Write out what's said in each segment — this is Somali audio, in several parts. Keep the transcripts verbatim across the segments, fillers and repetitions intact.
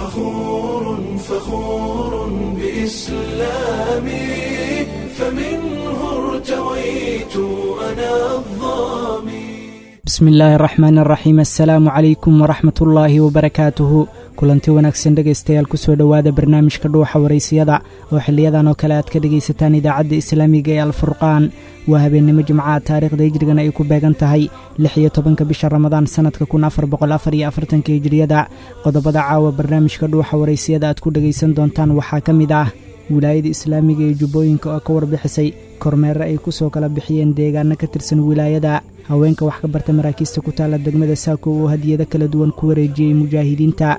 فخور فخور بإسلامي، فمنه ارتويت أنا الظامي. Bismi illaahi araxmaan araxiim. Assalaamu calaykum waraxmatullaahi wabarakaatuhu. Kulanti wanaagsan dhegaystayaal, kusoo dhowaada barnaamijka Dhuuxa Waraysiyada oo xiliyadan oo kale aad ka dhegaysataan Idaacadda Islaamiga ee Alfurqaan. Waa habeennimo Jimcaha, taariikhda hijrigana ay ku beegan tahay lix iyo tobanka bisha Ramadaan, sannadka kun afar boqol afar iyo afartanka Hijriyada. Qodobada caawa barnaamijka Dhuuxa Waraysiyada aad ku dhegaysan doontaan waxaa ka mid ah Wilaayada Islaamiga ee Jubbooyinka oo ka warbixisay kormeere ay ku soo kala bixiyeen deegaano ka tirsan wilaayada, haweenka wax ka barta maraakiista ku taalla degmada Saako oo hadiyado kala duwan ku wareejiyey mujaahidiinta,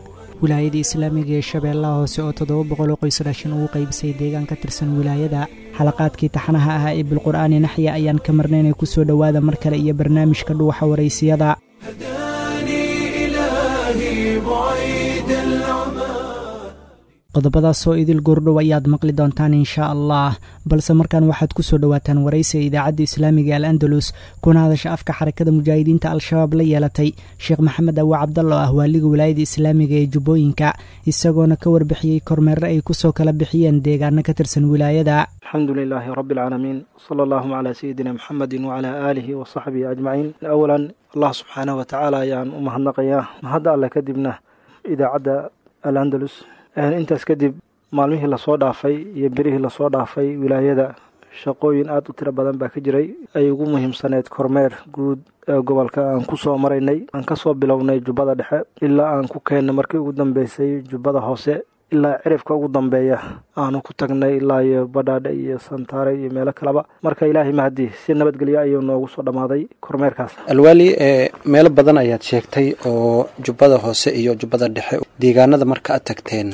Wilaayada Islaamiga ee Shabeellaha Hoose oo toddoba boqol oo qoys raashin ugu qaybisay deegaan ka tirsan wilaayada, xalaqaadkii taxanaha ahaa ee Bilqur'aani Naxya ayaan ka marnaynay. Kusoo dhowaada mar kale iyo barnaamijka Dhuuxa Waraysiyada. هداني إلهي بعيد العمى. Qodobadaasoo idil goordhow ayaad maqli doontaan inshaa Allah, balse markaan waxaad ku soo dhowaataan waraysiga Idaacadda Islaamiga Al Andalus kuna hadasha afka Xarakada Mujaahidiinta Al-Shabaab la yeelatay Sheekh Maxamed Awa Cabdalla oo ah waaliga Wilaayada Islaamiga ee Jubbooyinka, isagoona ka warbixiyey kormeere ay kusoo kala bixiyeen deegaano ka tirsan wilaayada. الحمد لله رب العالمين، صلى اللهم على سيدنا محمد وعلى آله وصحبه أجمعين. أولا، Allah subxaanahu watacaala ayaan u mahadnaqayaa, mahadda alle kadibna Idaacadda Al-Andalus. Intaas kadib, maalmihii lasoo dhaafay iyo berihii lasoo dhaafay wilaayada shaqooyin aada u tiro badan baa ka jiray, ay ugu muhiimsaneyd kormeer guud ee gobolka aan ku soo maraynay. Aan kasoo bilownay Jubbada Dhexe ilaa aan ku keennay markii ugu dambeysay Jubbada Hoose, ilaa cirifka ugu dambeeya aanu ku tagnay, ilaa iyo Badhaadhe iyo Santaare iyo meelo kaleba. Marka Ilaahay mahadi, si nabadgelyo ayuu noogu soo dhammaaday kormeerkaas. Alwaali, ee meelo badan ayaad sheegtay oo Jubbada Hoose iyo Jubbada Dhexe, deegaanada marka aad tagteen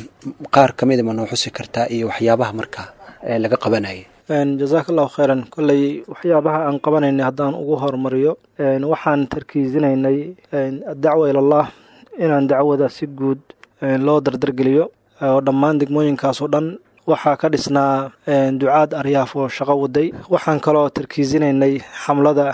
qaar ka mida ma noo xusi kartaa iyo waxyaabaha marka ee laga qabanayay? Jazaaka Allahu khayran. Kolley waxyaabaha aan qabanaynay haddaan ugu horumariyo, waxaan tarkiisinaynay addacwa ilallah, inaan dacwada si guud loo dardargeliyo oo dhammaan degmooyinkaas oo dhan waxaa ka dhisnaa ducaad aryaaf oo shaqo waday. Waxaan kaloo tarkiisinaynay xamlada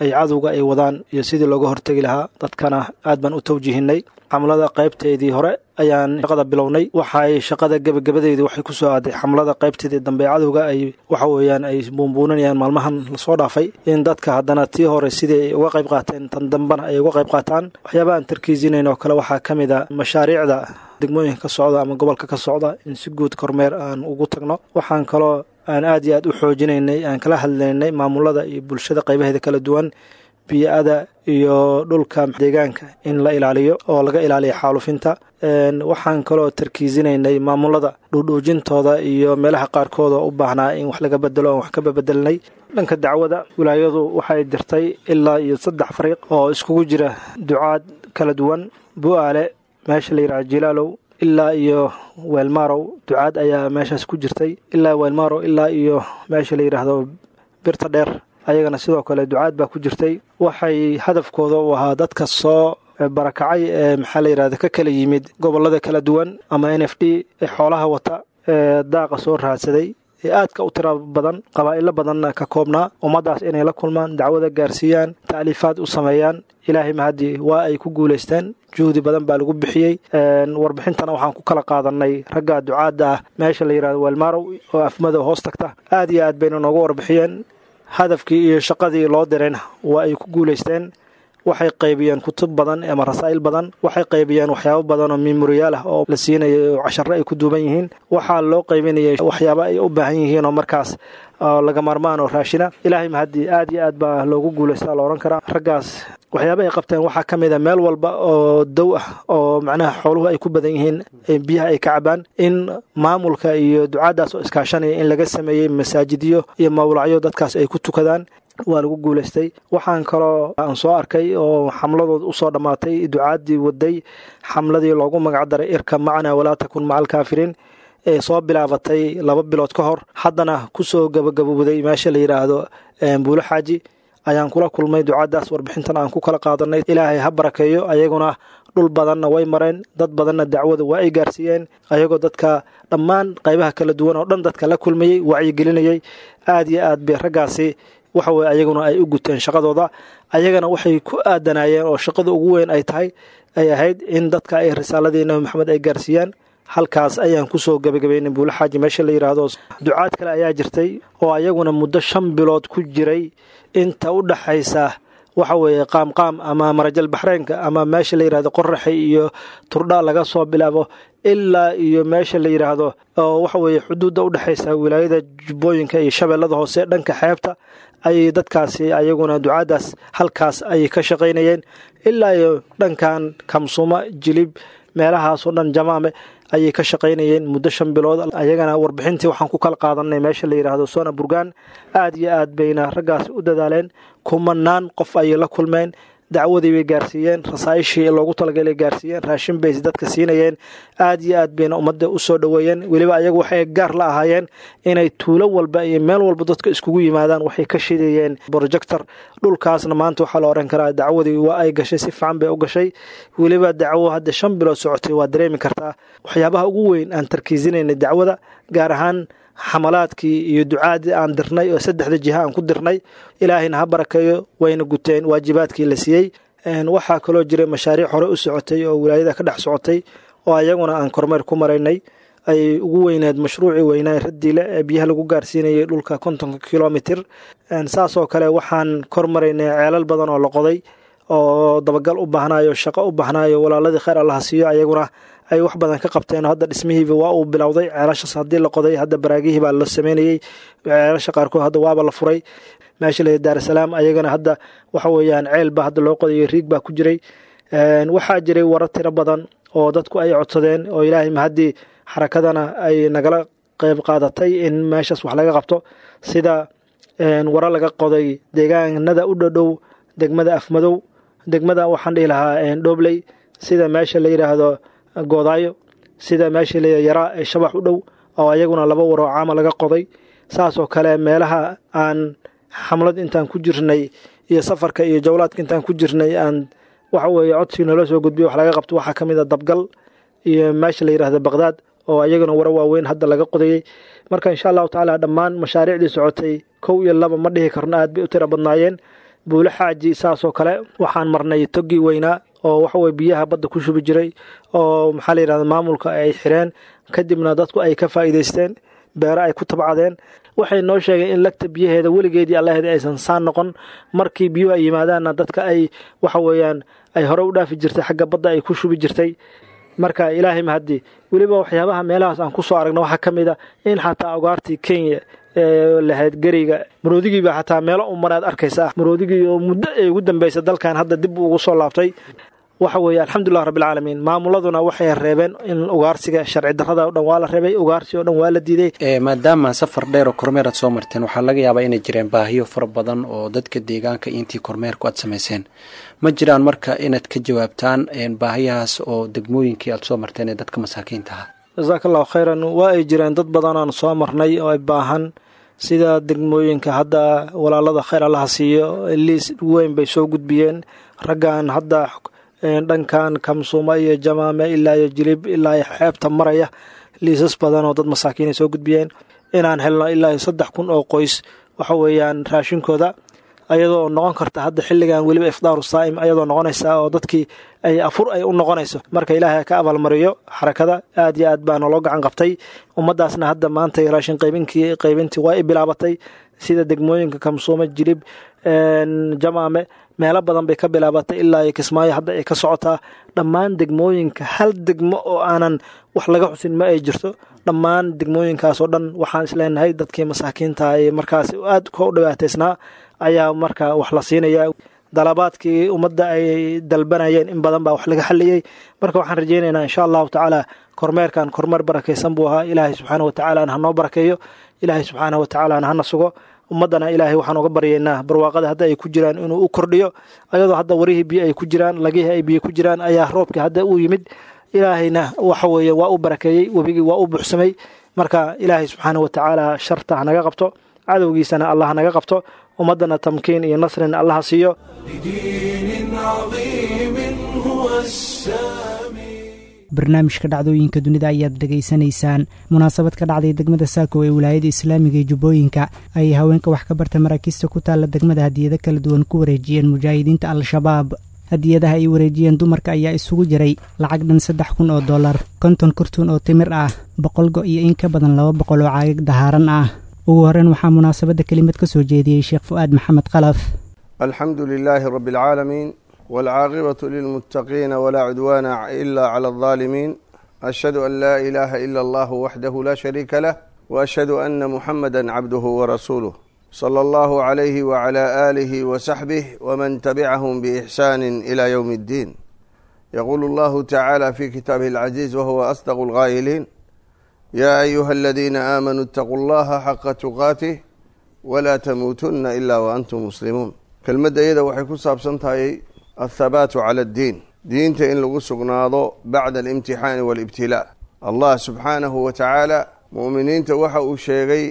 ay cadowga ay wadaan iyo sidii looga hortegi lahaa. Dadkana aad baan u tawjihinay. Xamlada qaybteedii hore ayaan shaqada bilownay, waxay shaqada gebagabadeedii waxay ku soo aaday xamlada qaybteedii dambe cadowga ay waxa weeyaan ay buunbuuninayaan maalmahan lasoo dhaafay, in dadka haddana tii hore sidii ay uga qayb qaateen tan dambena ay uga qayb qaataan. Waxyaabaha aan tarkiisinayn oo kale waxaa ka mid a mashaariicda degmooyinka ka socda ama gobolka ka socda in si guud kormeer aan ugu tagno. Waxaan kaloo aan aad iyo aad u xoojinaynay, aan kala hadlaynay maamulada iyo bulshada qaybaheeda kala duwan, biyo-ada iyo dhulka deegaanka in la ilaaliyo oo laga ilaaliyo xaalufinta. Waxaan kaloo tarkiisinaynay maamulada dhuudhuujintooda iyo meelaha qaarkood oo u baahnaa in wax laga bedelo oon wax ka babedelnay. Dhanka dacwada, wilaayadu waxay dirtay ilaa iyo saddex fariiq oo iskugu jira ducaad kala duwan. Bu-aale, meesha la yidhaha Jilaalow, ilaa iyo Weelmarow ducaad ayaa meeshaas ku jirtay, ilaa Weelmarow ilaa iyo meesha la yidhaahdo Birta Dheer ayagana sidoo kale ducaad baa ku jirtay. Waxay hadafkooda u ahaa dadka soo barakacay ee maxaa la yidhahda ka kala yimid gobollada kala duwan ama N F D ee xoolaha wata ee daaqa soo raadsaday ee aadka u tira badan, qabaa'ilo badanna ka koobnaa, ummaddaas inay la kulmaan, dacwada gaarsiiyaan, ta'liifaad u sameeyaan. Ilaahay mahadi, waa ay ku guulaysteen. Juhdi badan baa lagu bixiyey. Warbixintana waxaan ku kala qaadanay ragga ducaadda ah meesha la yidhahdo Weelmarow oo Afmadow hoos tagta. Aad iyo aad bayna noogu warbixiyeen. Hadafkii iyo shaqadii loo dirayna waa ay ku guulaysteen. Waxay qaybiyeen kutub badan ama rasaa'il badan, waxay qaybiyeen waxyaabo badan oo memoriyaal ah oo la siinayay oo casharo ay ku duuban yihiin. Waxaa loo qaybinayay waxyaabo ay u baahan yihiin oo markaas laga maarmaan oo raashina. Ilaahay mahadii, aad iyo aad baa loogu guulaystaa la odhan karaa. Raggaas waxyaaba ay qabteen waxaa ka mid a meel walba oo dow ah oo macnaha xooluhu ay ku badan yihiin, biyaha ay ka cabaan, in maamulka iyo ducaaddaas oo iskaashanaya in laga sameeyey masaajidyo iyo mawlacyo dadkaas ay ku tukadaan. Waa lagu guulaystay. Waxaan kaloo aan soo arkay oo xamladood usoo dhammaatay ducaaddii waday xamladii loogu magac daray "Irkab macnaa walaa takun maca alkaafiriin" ee soo bilaabatay laba bilood ka hor, haddana kusoo gabagabowday meesha la yidhaahdo Buulo Xaaji ayaan kula kulmay ducaaddaas, warbixintan aan ku kala qaadanay. Ilaahay ha barakeeyo. Ayaguna dhul badanna way mareen, dad badanna dacwada waa ay gaarsiiyeen, ayagoo dadka dhammaan qaybaha kala duwan oo dhan dadka la kulmayey, wacyigelinayay. Aad iyo aad bay raggaasi waxa weye ayaguna ay u guteen shaqadooda. Ayagana waxay ku aadanaayeen oo shaqada ugu weyn ay tahay ay ahayd in dadka ay risaaladii Nabi Maxamed ay gaarsiiyaan. Halkaas ayaan kusoo gabagabaynay Buulo Xaaji meesha la yidhaahdo. Ducaad kale ayaa jirtay oo ayaguna muddo shan bilood ku jiray inta u dhaxaysa waxa weeye Qaamqaam ama Marajal Baxreynka ama meesha la yidhahdo Qoraxi iyo Turdha laga soo bilaabo ilaa iyo meesha la yidhaahdo oo waxa weeye xuduudda u dhexaysa wilaayada Jubbooyinka iyo Shabeellada Hoose dhanka xeebta ayay dadkaasi ayaguna ducaadaas halkaas ayay ka shaqaynayeen ilaa iyo dhankan Kamsuma, Jilib, meelahaasoo dhan, Jamaame ayay ka shaqaynayeen muddo shan bilood. Ayagana warbixintii waxaan ku kala qaadanay meesha la yidhaahdo Sona Burgaan. Aad iyo aad bayna raggaasi u dadaaleen, kumanaan qof ayay la kulmeen, dacwadii bay gaarsiiyeen, rasaa'ishii loogu talagalay gaarsiiyeen, raashin bay dadka siinayeen. Aad iyo aad bayna ummadda u soo dhoweeyeen. Weliba ayagu waxay gaar la ahaayeen inay tuulo walba iyo meel walba dadka iskugu yimaadaan, waxay ka shidayeen projector. Dhulkaasna maanta waxaa la oran karaa dacwadii waa ay gashay, si fiican bay u gashay. Weliba dacwo hadda shan bilood socotay waa dareemi kartaa. Waxyaabaha ugu weyn aan tarkiisinaynay dacwada, gaar ahaan xamalaadkii iyo ducaadii aan dirnay oo saddexda jiha aan ku dirnay, ilaahayna ha barakeeyo, wayna guteen waajibaadkii la siiyey. Waxaa kaloo jiray mashaariic hore u socotay oo wilaayada ka dhex socotay oo ayaguna aan kormeer ku maraynay. Ay ugu weyneed mashruucii weynaa Radiile ee biyaha lagu gaarsiinayay dhulka kontonka kilomitir. Saasoo kale waxaan kor maraynay ceelal badan oo la qoday oo dabagal u baahnayo, shaqo u baahnayo. Walaaladii khayr allaha siiyo, ayaguna ay wax badan ka qabteen. Hadda dhismihiiba waa uu bilowday. Ceelashaas haddii la qoday, hadda baraagihii baa la sameynayey. Ceelasha qaarkood hadda waaba la furay. Meesha la Daarasalaam ayagana hadda waxa weeyaan ceel baa hadda loo qodayo, riig baa ku jiray. Waxaa jiray warar tiro badan oo dadku ay codsadeen oo ilaahay mahaddii xarakadana ay nagala qayb qaadatay in meeshaas wax laga qabto, sida waro laga qoday deegaanada u dhodhow degmada Afmadow, degmada waxaan dhihi lahaa Dhobley, sida meesha la yidhaahdo Goodaayo, sida meesha la Yaraa ee Shabax u dhow oo ayaguna laba waroo caama laga qoday. Saasoo kale meelaha aan xamlad intaan ku jirnay iyo safarka iyo jawlaadka intaan ku jirnay aan waxa weeye codsi noola soo gudbiyo wax laga qabto waxaa ka mid a Dabgal iyo meesha la yidhaahdo Baqdaad oo ayaguna waro waaweyn hadda laga qodayey. Marka insha allahu tacaala dhammaan mashaariicdii socotay kow iyo laba ma dhihi karno, aad bay u tiro badnaayeen. Buulo Xaaji saasoo kale waxaan marnay toggii weynaa oo waxaweye biyaha badda ku shubi jiray oo maxaa la yidhahda maamulka ay xireen, kadibna dadku ay ka faa'iidaysteen, beero ay ku tabcadeen. Waxay noo sheegeen in lagta biyaheeda weligeedii allaheeda aysan saan noqon, markii biyuhu ay yimaadaanna dadka ay waxa weeyaan ay hore u dhaafi jirtay, xagga badda ay ku shubi jirtay. Marka ilaahay mahadii. Weliba waxyaabaha meelahaas aan kusoo aragna waxaa ka mid a in xataa ugaartii Kenya ee lahayd geriga maroodigiiba xataa meelo u maraad arkaysa, maroodigii oo muddo ay ugu dambaysa dalkan hadda dib ugu soo laabtay. Waxa weeye alxamdulilah rabbilcaalamiin. Maamuladuna waxay reebeen in ugaarsiga sharci darrada o dhan waa la reebay, ugaarsi oo dhan waa la diiday. Maadaama safar dheer oo kormeer aad soo marteen, waxaa laga yaabaa inay jireen baahiyo fara badan oo dadka deegaanka intii kormeerku aad samayseen. Ma jiraan marka inaad ka jawaabtaan baahiyahaas oo degmooyinkii aad soo marteen ee dadka masaakiinta ahaa? Jasaaka allahu khayran. Waa ay jireen dad badan aan soo marnay oo ay baahan, sida degmooyinka hadda walaalada khayr allaha siiyo liis weyn bay soo gudbiyeen raggan hadda dhankan Kamsuuma iyo Jamaame ilaa iyo Jilib ilaa iyo xeebta maraya. Liisas badan oo dad masaakiin ay soo gudbiyeen inaan helno ilaa iyo saddex kun oo qoys waxa weeyaan raashinkooda, ayadoo noqon karta hadda xilligan weliba ifdaaru saa'im ayadoo noqonaysa oo dadkii ay afur ay u noqonayso. Marka ilaahay ka abaalmariyo xarakada, aad iyo aad baa naloo gacan qabtay. Ummaddaasna hadda maanta raashin qaybinkii qaybintii waa i bilaabatay, sida degmooyinka Kamsuuma, Jilib, Jamaame, meelo badan bay ka bilaabatay ilaa iyo Kismaayo hadda ay ka socotaa. Dhammaan degmooyinka hal degmo oo aanan wax laga xusin ma ay jirto. Dhammaan degmooyinkaas oo dhan waxaan isleenahay dadkii masaakiinta ee markaas aad ka u dhibaataysnaa ayaa marka wax la siinayaa. Dalabaadkii ummadda ay dalbanayeen in badan baa wax laga xaliyey. Marka waxaan rajaynaynaa insha allahu tacaala kormeerkan kormeer barakaysan buu ahaa. Ilaahay subxaana wa tacaala hanoo barakeeyo, ilaahay subxaana wa tacaala hana sugo. Ummaddana ilaahay waxaan uga baryaynaa barwaaqada hadda ay ku jiraan inuu u kordhiyo, ayadoo hadda warihii biyo ay ku jiraan, lagihii ay biyo ku jiraan ayaa roobkii hadda uu yimid. Ilaahayna waxa weeye waa u barakeeyey, webigii waa u buuxsamay. Marka ilaahay subxaana wa tacaala sharta hanaga qabto, cadowgiisana allah hanaga qabto, ummaddana tamkiin iyo nasrina allaha siiyo. لدين عظيم هو السامي. Barnaamijka dhacdooyinka dunida ayaad dhegaysanaysaan. Munaasabad ka dhacday degmada Saako ee wilaayada islaamiga ee Jubbooyinka ayay haweenka wax ka barta maraakiista ku taalla degmada hadiyado kala duwan ku wareejiyeen mujaahidiinta Al-Shabaab. Hadiyadaha ay wareejiyeen dumarka ayaa isugu jiray lacag dhan saddex kun oo dollar, konton kartuun oo timir ah, boqol go' iyo in ka badan laba boqol oo caagag dahaaran ah. Ugu horreyn waxaa munaasabadda kelimad ka soo jeediyey Sheekh Fu'aad Maxamed Khalaf. Alxamdu lilaahi rabbi alcaalamiin waalcaaqibatu lilmuttaqiina walaa cudwaana ila cala aldaalimiin. Ashhadu an laa ilaaha ila allahu waxdahu laa shariika lah, waashhadu ana muxamada cabduhu warasuuluh, sala allahu calayhi wacala aalihi wasaxbih waman tabicahum biixsaani ila yowmi addiin. Yaquulu allahu tacaala fi kitaabihi alcaziiz wahuwa asdaqu alqaa'iliin: yaa ayuha aladiina aamanuu itaquu allaha xaqa tuqaatih walaa tamuutunna ilaa waantum muslimuun. Kelmadda iyada waxay ku saabsan tahay athabaatu cala addiin, diinta in lagu sugnaado bacda alimtixaani waalibtilaa. Allah subxaanahu wa tacaala mu'miniinta waxa uu sheegay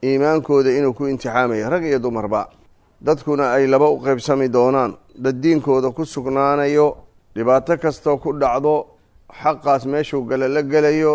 iimaankooda inuu ku imtixaamayo rag iyo dumarba, dadkuna ay laba u qaybsami doonaan: dad diinkooda ku sugnaanayo dhibaato kastoo ku dhacdo xaqaas meeshuu gala la gelayo,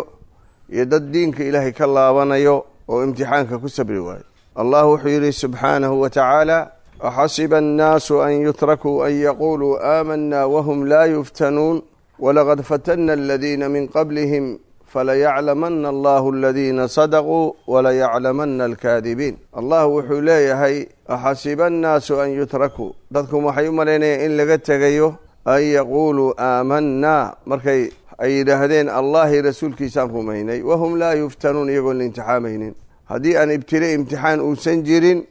iyo dad diinka ilaahay ka laabanayo oo imtixaanka ku sabri waayo. Allah wuxuu yidhi subxaanahu wa tacaala: axasiba annaasu an yutrakuu an yaquuluu aamanaa wahum laa yuftanuun walaqad fatanna aladiina min qablihim falayaclamana allahu aladiina sadaquu walayaclamana alkaadibiin. Allah wuxuu leeyahay: axasiba annaasu an yutrakuu, dadku waxay u malaynayaan in laga tegayo an yaquuluu aamanaa markay ay yidhaahdeen allahi rasuulkiisaan rumaynay, wahum laa yuftanuun, iyagoon la imtixaamaynin. Haddii aan ibtile imtixaan uusan jirin,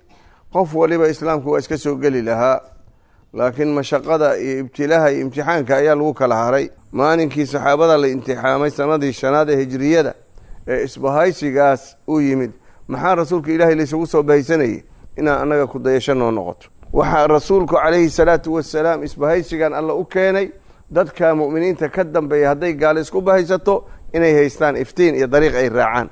qof waliba islaamku waa iska soo geli lahaa, laakiin mashaqada iyo ibtilaha iyo imtixaanka ayaa lagu kala haray. Maalinkii saxaabada la imtixaamay sanadii shanaad ee hijriyada ee isbahaysigaas u yimid, maxaa rasuulka ilaahay laysugu soo bahaysanayay? Inaan annaga ku dayasho noo noqoto. Waxaa rasuulku calayhi salaatu wasalaam isbahaysigan alla u keenay dadka mu'miniinta ka dambeeya hadday gaalo isku bahaysato inay haystaan iftiin iyo dariiq ay raacaan.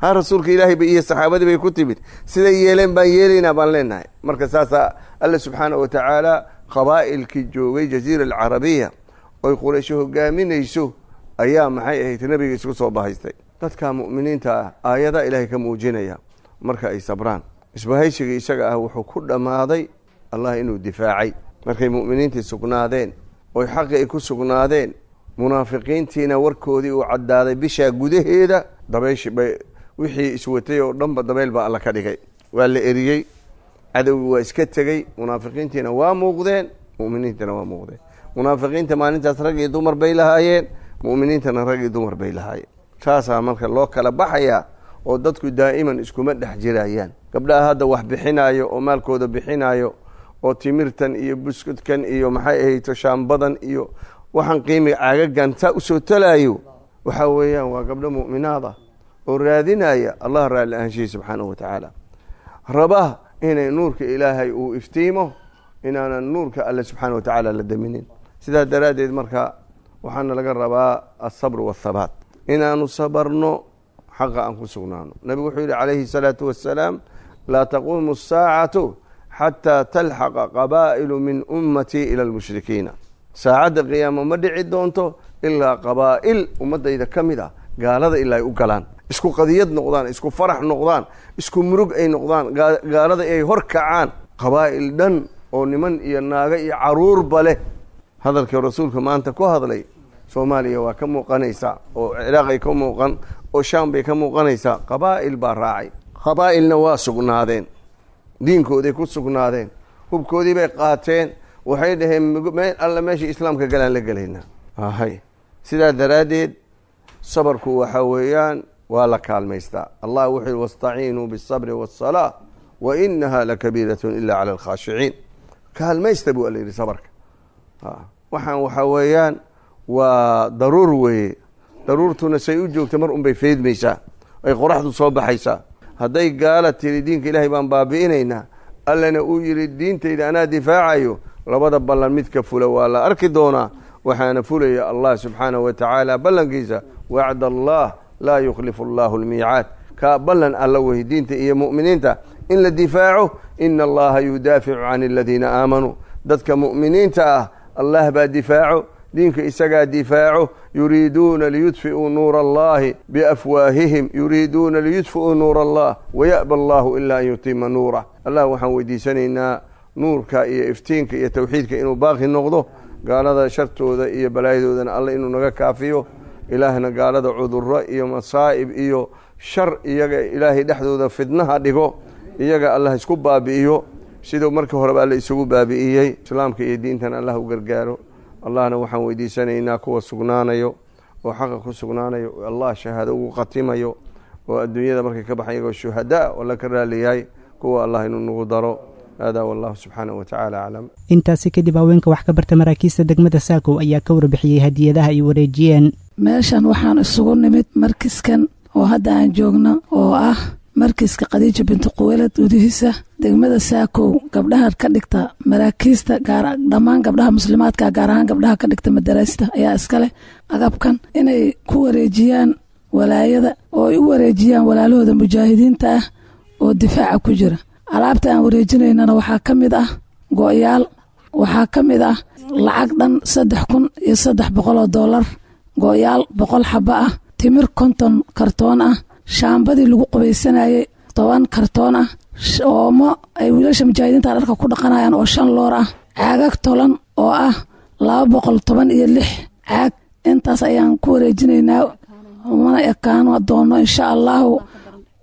Ha rasuulka ilaahay bay iyo saxaabadii bay ku timid, siday yeeleen baan yeelaynaa baan leenahay. Marka saasaa alla subxaana wa tacaala qabaa'ilkii joogay jaziira alcarabiya oy quraysho hogaaminayso ayaa maxay ahayd nebiga isku soo bahaystay. Dadka mu'miniinta ah aayadaa ilaahay ka muujinaya marka ay sabraan. Isbahaysiga isaga ah wuxuu ku dhammaaday allah inuu difaacay markay mu'miniintii sugnaadeen oy xaqii ay ku sugnaadeen, munaafiqiintiina warkoodii uu caddaaday bishaa gudaheeda. Dabayshi bay wixii iswatay oo dhanba dabayl baa alla ka dhigay, waa la eriyey, cadowgii waa iska tegey, munaafiqiintiina waa muuqdeen, mu'miniintiina waa muuqdeen. Munaafiqiinta maalintaas rag iyo dumar bay lahaayeen, mu'miniintana rag iyo dumar bay lahaayeen. Saasaa marka loo kala baxayaa oo dadku daa'iman iskuma dhex jirayaan. Gabdhaha hadda wax bixinaayo oo maalkooda bixinaayo oo timirtan iyo buskudkan iyo maxay ahayto shaambadan iyo waxaan qiimiga caagagan saa usoo talaayo, waxaa weeyaan waa gabdho mu'minaad ah oo raadinaya allah raalli ahaanshihi subxaanahu wa tacaala, raba inay nuurka ilaahay uu iftiimo, inaanan nuurka alle subxaana wa tacaala la daminin. Sidaas daraaddeed marka waxaana laga rabaa alsabr waathabaat, inaanu sabarno, xaqa aan ku sugnaano. Nabigu wuxuu yidhi calayhi salaatu wassalaam: laa taquumu asaacatu xataa talxaqa qabaa'ilu min ummatii ila almushrikiina. Saacadda qiyaamo ma dhici doonto ilaa qabaa'il ummaddayda ka mid ah gaalada ilaa ay u galaan, isku qadiyad noqdaan, isku farax noqdaan, isku murug ay noqdaan, gaalada ay hor kacaan, qabaa'il dhan oo niman iyo naago iyo caruurba leh. Hadalkii rasuulka maanta ku hadlay Soomaaliya waa ka muuqanaysaa, oo Ciraaq ay ka muuqan, oo Shaam bay ka muuqanaysaa. Qabaa'il baa raacay, qabaa'ilna waa sugnaadeen, diinkooday ku sugnaadeen, hubkoodii bay qaateen, waxay dhaheen meel alla meesha islaamka galaan la gelaynaa. Hay, sidaa daraaddeed sabarku waxaa weeyaan waa la kaalmaystaa. Allah wuxuu yihi: wastaciinuu biالsabri waالsalaa wa inaha lakabiiratun ila cala alkhaashiciin. Kaalmaysta buu alla yidhi sabarka. Waxaan waxaa weeyaan waa daruur weeye, daruurtuna say u joogta mar unbay feydmaysaa, ay qoraxdu soo baxaysaa. Hadday gaala tiri diinka ilaahay baan baabi'inaynaa, allana uu yidhi diintayda anaa difaacayo, labada ballan midka fula waa la arki doonaa. Waxaana fulaya allah subxaanahu wa tacaala ballankiisa: wacd allah laa yukhlifu allahu almiicaad. Kaa ballan alla wey diinta iyo mu'miniinta in la difaaco. Ina allaha yudaaficu can aladiina aamanuu. Dadka mu'miniinta ah allah baa difaaco, diinka isagaa difaaco. Yuriiduuna liyudfi'uu nuura allahi biafwaahihim, yuriiduuna liyudfi'uu nuura allah waya'ba allahu ilaa an yutima nuurah. Allah waxaan weydiisanaynaa nuurka iyo iftiinka iyo tawxiidka inuu baaqi noqdo, Gaalada shartooda iyo balaayadoodana Alla inuu naga kaafiyo. Ilaahna gaalada cudurro iyo masaa'ib iyo shar iyaga Ilaahay dhexdooda fidnaha dhigo, iyaga Allah isku baabi'iyo siduu markii horeba Alla isugu baabi'iyey. Islaamka iyo diintana Allah u gargaaro. Allahna waxaan weydiisanaynaa kuwa sugnaanayo oo xaqa ku sugnaanayo, Allah shahaado ugu khatimayo oo adduunyada markay ka baxan iyagoo shuhadaa oo la ka raaliyahay, kuwa Allah inuu nagu daro. Hada wallahu subxaanahu watacaala aclam. Intaasi kadib haweenka wax ka barta maraakiista degmada Saakow ayaa ka warbixiyey hadiyadaha ay wareejiyeen. Meeshan waxaan isugu nimid markiskan oo hadda aan joogno oo ah markiska Khadiija binti Quweylad gudihiisa degmada Saakow. Gabdhaha ka dhigta maraakiista, gaar dhammaan gabdhaha muslimaadka, gaar ahaan gabdhaha ka dhigta madaraasta ayaa iskale agabkan inay ku wareejiyaan walaayada oo ay u wareejiyaan walaalahooda mujaahidiinta ah oo difaaca ku jira. Alaabta aan wareejinaynana waxaa ka mid ah go'yaal, waxaa ka mid ah lacag dhan saddex kun iyo saddex boqol oo doolar, go'yaal boqol xabo ah, timir konton kartoon ah, shaambadii lagu qubaysanayay toban kartoon ah, oomo ay wiilasha mujaahidiinta dharka ku dhaqanayaan oo shan loor ah, caagag tolan oo ah laba boqol toban iyo lix caag. Intaas ayaan ku wareejinaynaa, mana ekaano doono insha Allahu.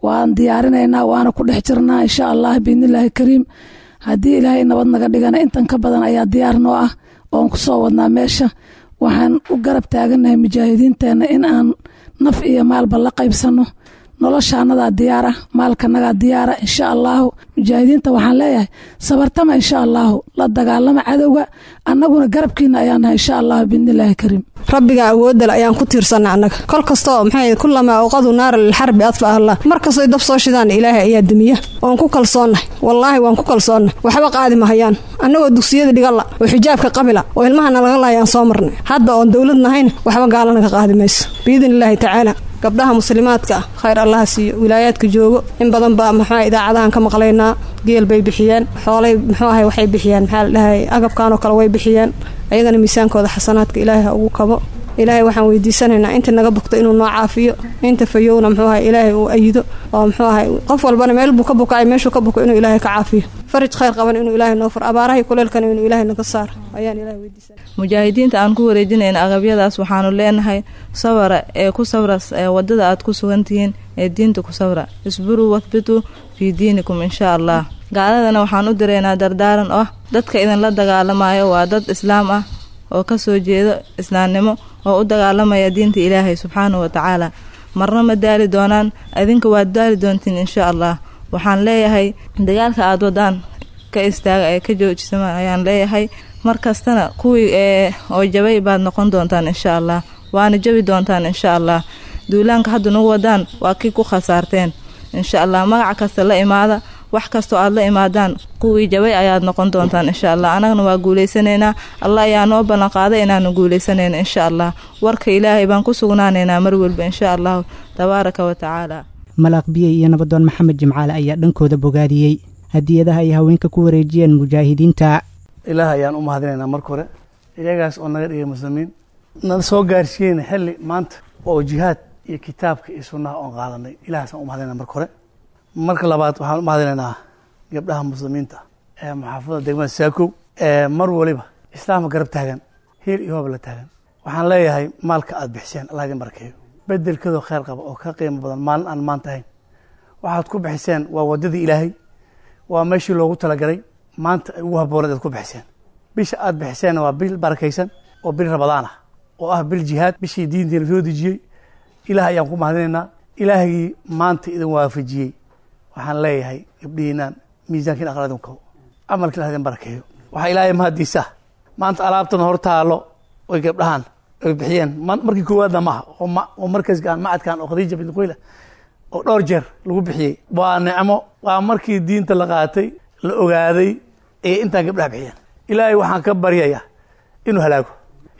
Waan diyaarinaynaa, waana ku dhex jirnaa insha Allah biidnillaahi kariim. Haddii Ilaahay nabad naga dhigana intan ka badan ayaa diyaar noo ah oon ku soo wadnaa meesha. Waxaan u garab taagannahay mujaahidiinteenna in aan naf iyo maalba la qaybsanno. Noloshaanadaa diyaara, maalkanagaa diyaara insha Allahu. Mujaahidiinta waxaan leeyahay sabartama insha Allahu, la dagaalama cadowga, annaguna garabkiina ayaan nahay insha Allahu biidnillaahi kariim. Rabbiga awoodale ayaan ku tiirsanna annaga kol kastoo maxay kulamaa awqadu naara lilxarbi adfa Allah. Mar kastoo dab soo shidaan Ilaahay ayaa damiya, oon ku kalsoonnahay, wallaahi waan ku kalsoonnahay. Waxba qaadi mahayaan annagoo dugsiyada dhigalla oo xijaabka qabila oo ilmahana laga laayaan soo marnay. Hadda oon dowlad nahayna waxba gaalana ka qaadi mayso biidnillaahi tacaala. Gabdhaha muslimaadka ah khayr Allaha siiyo, wilaayaadka joogo in badan baa maxaa idaacadahan ka maqlaynaa. Geel bay bixiyeen, xoolay muxuu ahay waxay bixiyeen, maxaa la dhahay agabkan oo kale way bixiyeen. Ayagana miisaankooda xasanaadka Ilaahay ha ugu kabo. Ilaahay waxaan weydiisanaynaa inta naga bogto inuu noo caafiyo, inta fayowna muxuu ahay Ilaahay uu ayido oo muxuu ahay qof walbana meel buu ka bukacay, meeshuu ka buko inuu Ilaahay ka caafiyo, faraj khayr qaban inuu Ilaahay noo furo, abaaraha kuleelkana inuu Ilaahay naga saaro ayaan Ilaahay weydiisanay. Mujaahidiinta aan ku wareejinayna agabyadaas waxaanu leenahay sabra ee ku sabra ee wadada aad ku sugan tihiin ee diinta ku sabra, isburuu wathbituu fii diinikum insha Allah. Gaaladana waxaan u direynaa dardaaran oo ah dadka idinla dagaalamayo waa dad islaam ah oo ka soo jeeda islaamnimo oo u dagaalamaya diinta Ilaahay subxaanahu wa tacaala. Marna ma daali doonaan, idinka waad daali doontiin insha Allah. Waxaan leeyahay dagaalka aad wadaan ka istaaga ee ka joojisama ayaan leeyahay. Mar kastana kuwii ee oo jabay baad noqon doontaan insha Allah, waana jabi doontaan insha Allah. Duulaanka hadda nagu wadaan waa kii ku khasaarteen insha Allah. Magaca kasta la imaada, wax kastoo aad la imaadaan kuwii jabay ayaad noqon doontaan insha Allah. Annagana waa guulaysanaynaa, Allah ayaa noo ballan qaaday inaanu guulaysanayno insha Allah. Warka Ilaahay baan ku sugnaanaynaa mar walba insha Allahu tabaaraka wa tacaala. Malaaq Biyey iyo nabadoon Maxamed Jimcaale ayaa dhankooda bogaadiyey hadiyadaha ay haweenka ku wareejiyeen mujaahidiinta. Ilaah ayaan u mahadinaynaa marka hore, iyagaas oo naga dhigay muslimiin, nala soo gaarsiiyeyna xilli maanta oo jihaad iyo kitaabka iyo sunnaha oon qaadanay. Ilahaasaan u mahadinayna marka hore. Marka labaad waxaan u mahadinaynaa gabdhaha muslimiinta ee maxaafadda degmada Saakow ee mar waliba islaamka garab taagan, heel iyo hoob la taagan. Waxaan leeyahay maalka aad bixiseen Allah idin barakeeyo, bedelkeedoo khayr qaba oo ka qiimo badan maalin aan maanta ahayn. Waxaad ku bixiseen waa waddadii Ilaahay, waa meeshii loogu talagalay, maanta ay ugu habbooneed aad ku bixiseen. Bisha aad bixiseenna waa bil barakaysan oo bil Rabadaan ah oo ah bil jihaad, bishii diinteena soo dejiyey. Ilaah ayaan ku mahadinaynaa, Ilaahgii maanta idin waafajiyey. Waxaan leeyahay gabdhihiinaan miisaankiin aqal idin kabo, camalka Ilaah idin barakeeyo. Waxaa Ilaahay mahadiisa maanta alaabtan hor taalo oy gabdhahan ay bixiyeen markii koowaadna maaha, oo markaskaan macadkan oo Khadiija bint Quweyla oo dhowr jeer lagu bixiyey. Waa nicmo, waa markii diinta la qaatay la ogaaday ee intaan gabdhaha bixiyeen. Ilaahay waxaan ka baryayaa inuu halaago.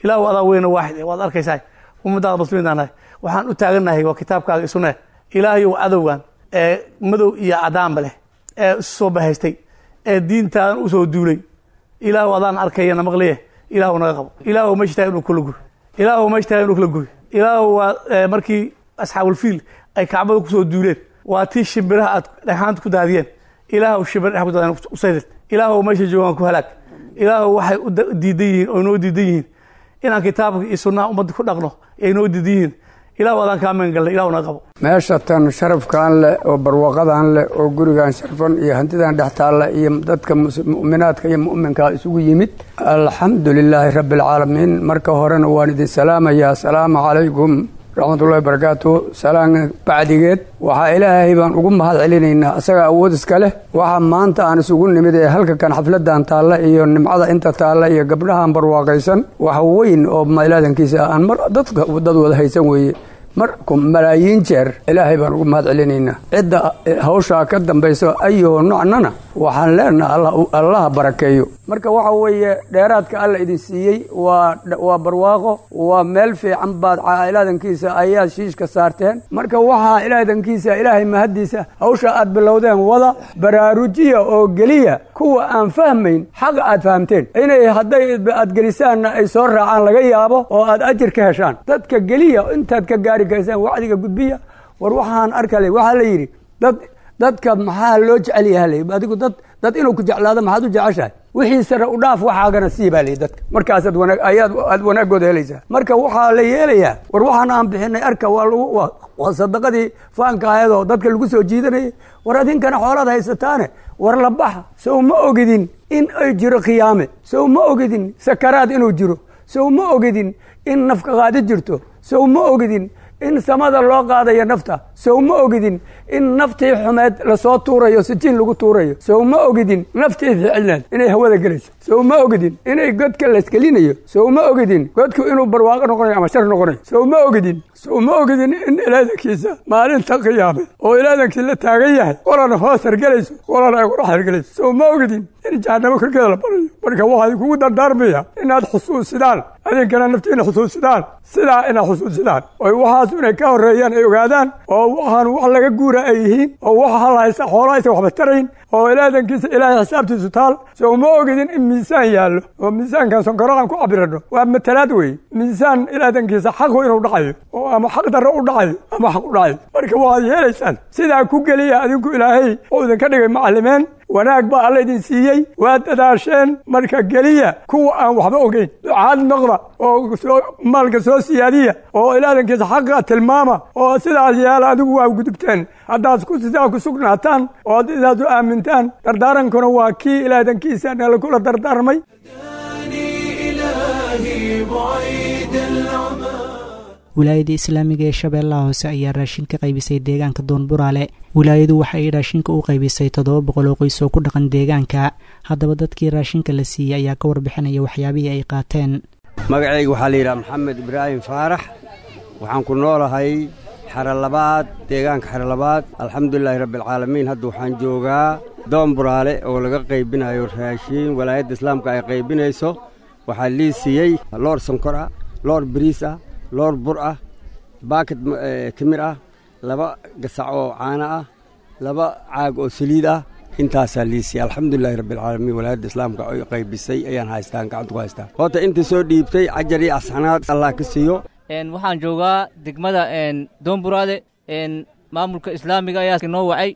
Ilaahu adaa weyna waaxid ee waad arkaysaa ummadaada muslimiintaan nahay, waxaan u taagannahay waa kitaabkaaga isune. Ilaahayow cadowgan ee madow iyo cadaanba leh ee isu soo bahaystay ee diintaadan u soo duulay, Ilaahu adaan arkayana maqliye, Ilaahu naga qabo. Ilaahu meesha tahay inuu kula guy, Ilaahu meesha tahay inuu kula guy. Ilaahu waa markii asxaabulfiil ay kacbada kusoo duuleen, waa tii shimbiraha aad dhagxaanta ku daadiyeen. Ilaahu shimbir dhex ku daadiyeen usaydid. Ilaahu meesha joogaan ku halaag. Ilaahu waxay u diidan yihiin oo noo diidan yihiin inaan kitaabka iyo sunnaha ummadda ku dhaqno ay noo diidan yihiin. Ilaahu adaan kaa magan galnay, Ilaahu naga qabo. Meesha tan sharafkan leh oo barwaaqadan leh oo gurigan sharfan iyo hantidan dhex taalla iyo dadka mu'minaadka iyo mu'minkaa isugu yimid, alxamdu lilaahi rabbi alcaalamiin. Marka horena waan idin salaamayaa, asalaamu calaykum raxmatullahi barakaatu. Salaan bacdigeed, waxaa Ilaahay baan ugu mahad celinaynaa, asaga awood iska leh. Waxaa maanta aan isugu nimid ee halka kan xafladan taalla iyo nimcada inta taalla iyo gabdhahan barwaaqaysan, wax weyn oo mailaadankiisa aan mar dadka dad wada haysan weeye. Mar malaayiin jeer Ilaahay baan ugu mahad celinaynaa. Cidda hawshaa ka dambayso ayuhu nocnana waxaan leenaha Allaha barakeeyo. Marka waxa weeye dheeraadka Alla idin siiyey waa waa barwaaqo, waa meel fiican baad ilaadankiisa ayaad shiishka saarteen. Marka waxaa ilaadankiisa Ilaahay mahaddiisa, hawsha aad bilowdeen wada baraarujiya oo geliya kuwa aan fahmayn xaqa aad fahamteen, inay hadday aad gelisaanna ay soo raacaan laga yaabo oo aad ajir ka heshaan. Dadka geliya intaad ka gaari kaysaan, wacdiga gudbiya. War waxaan arkale, waxaa la yidhi dad dadka maxaa loo jecel yahay? Adigu dad dad inuu ku jeclaado maxaad u jeceshahay? Wixii sare u dhaaf, waxaagana sii baa layihi dadka, markaasaad wanaag ayaad aad wanaaggooda helaysaa. Marka waxaa la yeelayaa, war waxaan aan bixinay arka, waa lagu waa sadaqadii faanka ahayd oo dadka lagu soo jiidanayay. War adinkana xoolaad haysataane, war la baxa. Sow ma ogidin in ay jiro khiyaame? Sow ma ogidin sakaraad inuu jiro? Sow ma ogidin in nafka qaadi jirto? Sow ma ogidin in samada loo qaadayo nafta? Sow ma ogidin in naftii xumeed lasoo tuurayo, sijiin lagu tuurayo? Sow ma ogidin naftii ficilneed inay hawada gelayso? Sow ma ogidin inay godka laysgelinayo? Sow ma ogidin godku inuu barwaaqo noqonayo ama shar noqonayo? Sow ma ogidin sow ma ogidin in ilaadankiisa maalinta qiyaame oo ilaadankii la taagan yahay qolana hoos hargelayso, qolana ay qorax hargelayso? Sow ma ogidin in jahanamo korkeeda la barayo? Marka waxaa kugu dardaarmaya inaad xusuusidaan, adinkana naftiina xusuusidaan, sidaa inaad xusuusidaan oy waxaas inay ka horreeyaan ay ogaadaan, oo waxaan wax laga guura ay yihiin, oo waxa la haysta xoolo aysan waxba tarayn, oo ilaadankiisa Ilaahay xisaabtiisu taal. Sow ma ogidin in miisaan yaallo, oo miisaankan sonkoro aan ku cabirano waa matalaad weeye, miisaan ilaadankiisa xaqu inuu dhacayo oo ama xaq darro u dhacayo ama xaq u dhacayo? Marka waxaad yeelaysaan sidaa ku geliya. Adinku Ilaahay oo idinka dhigay macallimeen, wanaag baa Alla idin siiyey, waa dadaasheen. Marka geliya kuwa aan waxba ogeyn, ducaad noqda oo soo maalka soo siyaadiya oo ilaadankiisa xaqa tilmaama oo sidaas yeela. Adigu waa gudubteen haddaad ku sidaa ku sugnaataan oo aad sidaas u aamintaan. Dardaarankuna waa kii ilaadankiisa nala kula dardaarmay. إلهي بعيد العمى. Wilaayada Islaamiga ee Shabeellaha Hoose ayaa raashin ka qaybisay deegaanka Doonburaale. Wilaayadu waxa ay raashinka u qaybisay toddoba boqol oo qoys oo ku dhaqan deegaanka. Haddaba dadkii raashinka la siiyey ayaa ka warbixinaya waxyaabihii ay qaateen. Magacayga waxaa la yidhaha Maxamed Ibraahim Faarax. Waxaan ku noolahay xero labaad, deegaanka xero labaad. Alxamdulilaahi rabbialcaalamiin. Hadda waxaan joogaa Doomburaale oo laga qaybinayo raashiin, walaayadda islaamka ay qaybinayso. Waxaa lii siiyey loor sonkor ah, loor bariis ah, loor bur ah, baakad timir ah, laba gasac oo caano ah, laba caag oo saliid ah. Intaasaa lii siiyey, alxamdulilahi rabbialcaalamiin. Walaayadda islaamka ay qaybisay ayaan haystaan, gacanta ku haystaa. Horta intii soo dhiibtay cajar iyo asxanaad Allah ka siiyo. Waxaan joogaa degmada Doomburaale. Maamulka islaamiga ayaa noo wacay,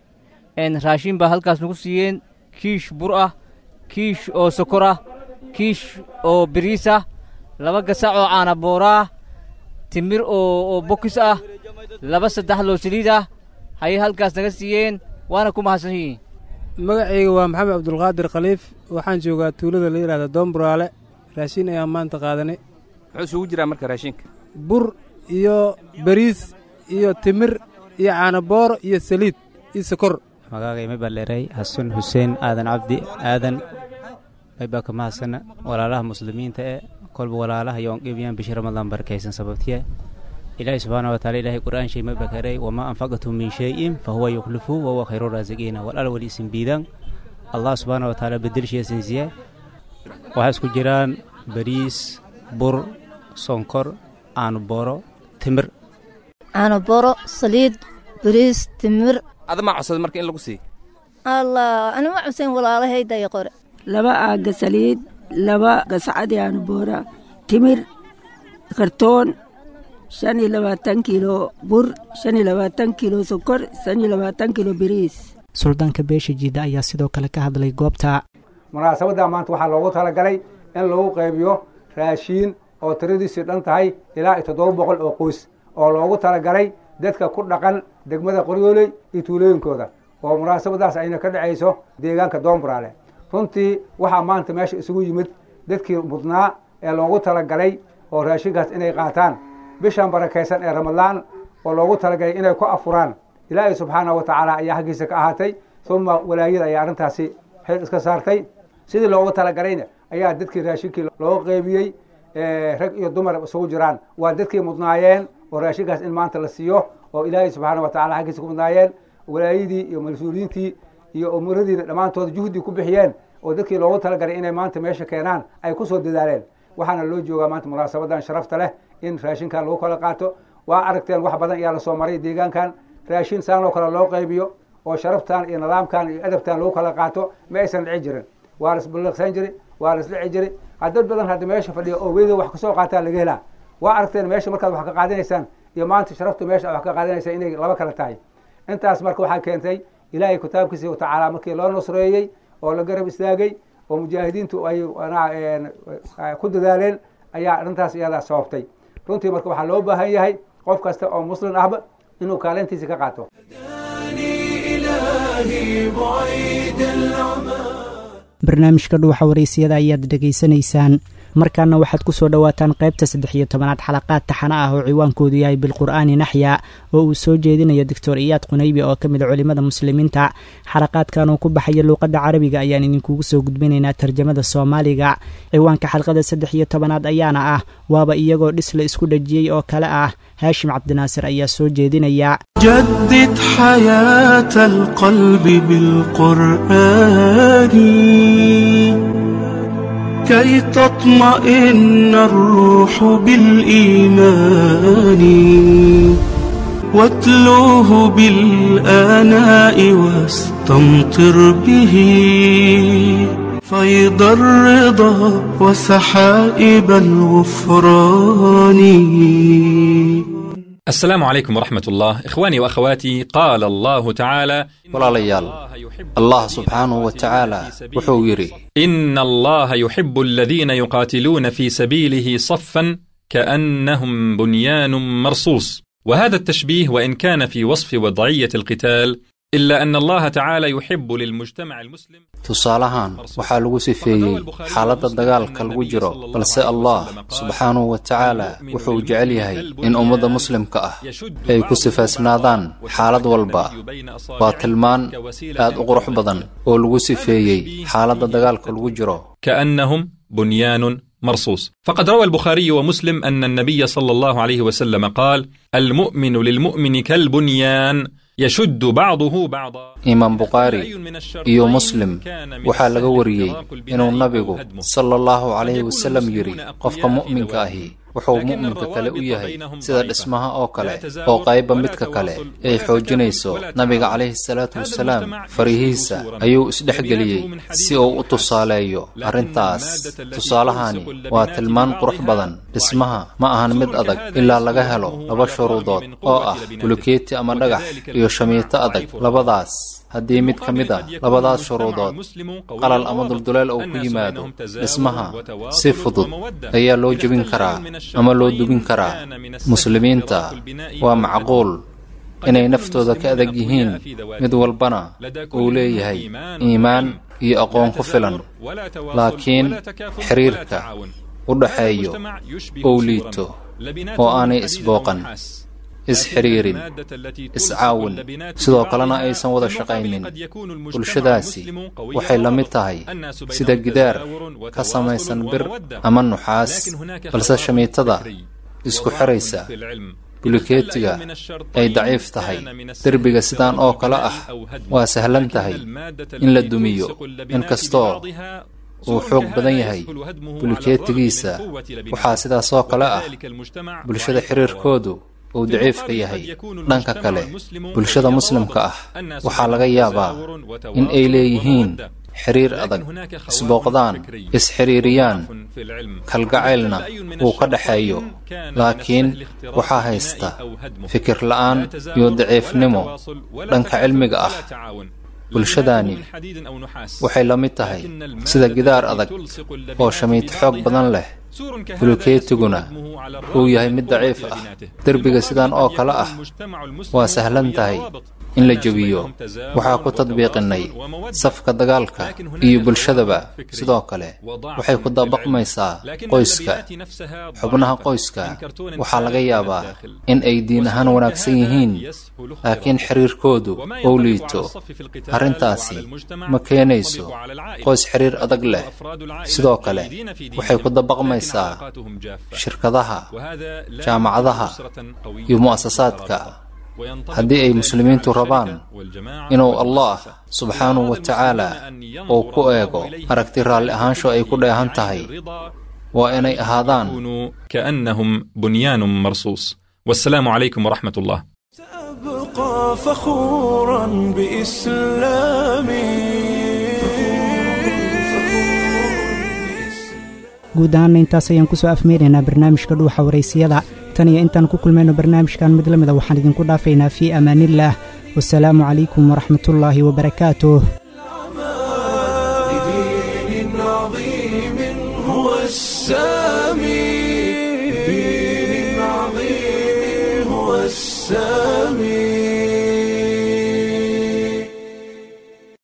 raashin baa halkaas nagu siiyeen: kiish bur ah, kiish oo sokor ah, kiish oo biriis ah, laba gasac oo caana boora ah, timir oo bokis ah, laba saddex loo saliid ah hayay halkaas naga siiyeen, waana ku mahadsan yihiin. Magacayga waa Maxamed Cabdulqaadir Khaliif. Waxaan joogaa tuulada la yidhahda Doomburaale. Raashin ayaan maanta qaadanay. Muxuu isugu jiraa marka raashinka? Bur iyo bariis iyo timir iyo caanabooro iyo saliid iyo sokor. Magaagay may baleeray Xasan Xuseen Aadan Cabdi Aadan. Maybaa ka mahadsana walaalaha muslimiinta ee kolba walaalaha yoon qeybiyaan bishi Ramadaan barakaysan. Sababtiye Ilaahay subxaana wa taala, Ilaahay qur'aan shay may bakaray: "Wamaa anfaqtum min shayin fahuwa yukhlifu wahuwa khayru raasiqiina." Walaal wali isin biidaan Allah subxaana wa taala bedelshiya sinsiye. Waxaa isku jiraan bariis, bur, sonkor, caano booro, timir. Caano booro, saliid, bariis, timir. Adama codsada marka in lagu siiyo? Allah, anima cuseen, walaalahayda iyo qore. Laba aaga saliid, laba gascadi caano boora, timir kartoon, shan iyo labaatan kiilo bur, shan iyo labaatan kiilo sokor, shan iyo labaatan kiilo bariis. Suldaanka beesha Jiida ayaa sidoo kale ka hadlay goobta. Munaasabadda maanta waxaa loogu talagalay in lagu qaybiyo raashiin oo tiradiisu dhan tahay ilaa iyo toddoba boqol oo qoys oo loogu talagalay dadka ku dhaqan degmada Qoryooley iyo tuulooyinkooda, oo munaasabadaas ayna ka dhacayso deegaanka Doomburaale. Runtii waxaa maanta meesha isugu yimid dadkii mudnaa ee loogu talagalay oo raashinkaas inay qaataan bishan barakaysan ee Ramadaan, oo loogu talagalay inay ku afuraan. Ilaahay subxaanahu wa tacaala ayaa xaggiisa ka ahaatay, uma walaayada ayaa arrintaasi xil iska saartay. Sidii loogu talagalayna ayaa dadkii raashinkii loo qeybiyey, rag iyo dumar isugu jiraan. Waa dadkii mudnaayeen oo raashinkaas in maanta la siiyo oo Ilaahay subxaana wa tacala xaggiisa ku mudnaayeen. Walaayadii iyo mas-uuliyiintii iyo umuradiina dhammaantood juhdi ku bixiyeen oo dadkii loogu talagalay inay maanta meesha keenaan ay kusoo dadaaleen. Waxaana loo joogaa maanta munaasabadan sharafta leh in raashinkan lagu kala qaato. Waa aragteen, wax badan ayaa lasoo maray deegaankan. Raashin saan oo kale loo qaybiyo oo sharaftan iyo nidaamkan iyo adabtan lagu kala qaato ma aysan dhici jirin. Waa la isballiqsan jiri, waa la isdhici jiri. Dad badan hadda meesha fadhiya oo weyda wax kasoo qaataa laga helaa. Waa aragteen meesha markaad wax ka qaadanaysaan iyo maanta sharaftu meesha wax ka qaadanaysa inay laba kala tahay. Intaas marka waxaa keentay Ilaahay kitaabkiisa watacaala markii loo nusreeyey oo la garab istaagay oo mujaahidiintu ay ku dadaaleen ayaa arrintaas iyadaa sababtay. Runtii marka waxaa loo baahan yahay qof kasta oo muslim ahba inuu kaalintiisa ka qaato. إلهي بعيد العمى. Barnaamijka Dhuuxa Wareysiyada ayaad dhegaysanaysaan. Markaana waxaad ku soo dhowaataan qaybta saddex iyo tobanaad xalaqaad taxana ah oo ciwaankoodu yahay Bilqur'aani Naxya, oo uu soo jeedinayo Doctor Iyaad Qunaybi oo ka mid a culimada muslimiinta. Xalaqaadkan oo ku baxaya luuqadda Carabiga ayaan idinkugu soo gudbinaynaa tarjamada Soomaaliga. Ciwaanka xalqada saddex iyo tobanaad ayaana ah waaba iyagoo dhis la isku dhejiyey oo kale ah. Haashim Cabdinaasir ayaa soo jeedinaya. جدد حياة القلب بالقرآن كي تطمئن الروح بالإيمان، واتلوه بالآناء واستمطر به فيض الرضا وسحائب الغفران. السلام عليكم ورحمة الله، إخواني وأخواتي. قال الله تعالى: Walaalayaal, Allah subxaanahu wa tacaala wuxuu yidhi: إن الله يحب الذين يقاتلون في سبيله صفا كأنهم بنيان مرصوص. وهذا التشبيه وإن كان في وصف وضعية القتال، إلا أن الله تعالى يحب للمجتمع المسلم Tusaalahan waxaa lagu sifeeyey xaaladda dagaalka lagu jiro, balse Allah subxaanahu wa tacaala wuxuu jecel yahay in ummadda muslimka ah ay ku sifaysnaadaan xaalad walba. Waa tilmaan aad u qurux badan oo lagu sifeeyey xaaladda dagaalka lagu jiro. كأنهم بنيان مرصوص. فقد روى البخاري ومسلم أن النبي صلى الله عليه وسلم قال: المؤمن للمؤمن كالبنيان يشد بعضه بعضا. Imaam Bukhaari iyo Muslim waxaa laga wariyey inuu nabigu sala Allahu calayhi wasallam yidhi: qofka mu'minka ahi wuxuu mu'minka kale u yahay sida dhismaha oo kale, oo qayba midka kale ay xoojinayso. Nabiga calayhi salaatu wasalaam farihiisa ayuu isdhexgeliyey si uu u tusaaleeyo arrintaas. Tusaalahani waa tilmaan qurux badan. Dhismaha ma ahan mid adag ilaa laga helo laba shuruudood oo ah bulukeeti ama dhagax iyo shamiito adag. Labadaas haddii mid ka mid a labadaas shuruudood qalal ama dulduleel uu ku yimaado, dhismaha si fudud ayaa loo jebin karaa ama loo dubin karaa. Muslimiinta waa macquul inay naftooda ka adag yihiin, mid walbana uu leeyahay iimaan iyo aqoon ku filan, laakiin xiriirka u dhaxeeyo uu liito oo aanay isbooqan, isxiriirin, iscaawin, sidoo kalena aysan wada shaqaynin. Bulshadaasi waxay la mid tahay sida gidaar ka samaysan bir ama nuxaas, balse shamiitada isku xiraysa bulikeetiga ay daciif tahay. Derbiga sidaan oo kale ah waa sahlan tahay in la dumiyo, inkastoo uu xoog badan yahay bulikeetigiisa. Waxaa sidaas oo kale ah bulshada xiriirkoodu uu daciifka yahay. Dhanka kale, bulshada muslimka ah waxaa laga yaabaa in ay leeyihiin xiriir adag, isbooqdaan, isxiriiriyaan, kalgacaylna uu ka dhaxeeyo, laakiin waxaa haysta fikir la'aan iyo daciifnimo dhanka cilmiga ah. Bulshadaani waxay la mid tahay sida gidaar adag oo shamiito xoog badan leh, bulukeetiguna uu yahay mid daciif ah. Derbiga sidan oo kale ah waa sahlan tahay in la jebiyo. Waxaa ku tadbiiqinnay safka dagaalka iyo bulshadaba. Sidoo kale waxay ku dabaqmaysaa qoyska. Xubnaha qoyska waxaa laga yaabaa in ay diin ahaan wanaagsan yihiin, laakiin xiriirkoodu uu liito. Arrintaasi ma keenayso qoys xiriir adag leh. Sidoo kale waxay ku dabaqmaysaa shirkadaha, jaamacadaha iyo mu'asasaadka. Haddii ay muslimiintu rabaan inuu Allah subxaanahu wa tacaala uu ku eego aragti raalli ahaansho ay ku dheehan tahay, waa inay ahaadaan كأنهم بنيان مرصوص. والسلام عليكم ورحمة الله. أبقى فخورا بإسلامي. Guud ahaana intaas ayaan kusoo afmeeraynaa barnaamijka Dhuuxa Waraysiyada. Tan iyo intaan ku kulmayno barnaamijkan mid la mida, waxaan idinku dhaafaynaa fii amaaniillaah, wasalaamu calaykum waraxmatullaahi wabarakaatuh. لدين عظيم هو السامي، لدين عظيم هو السامي.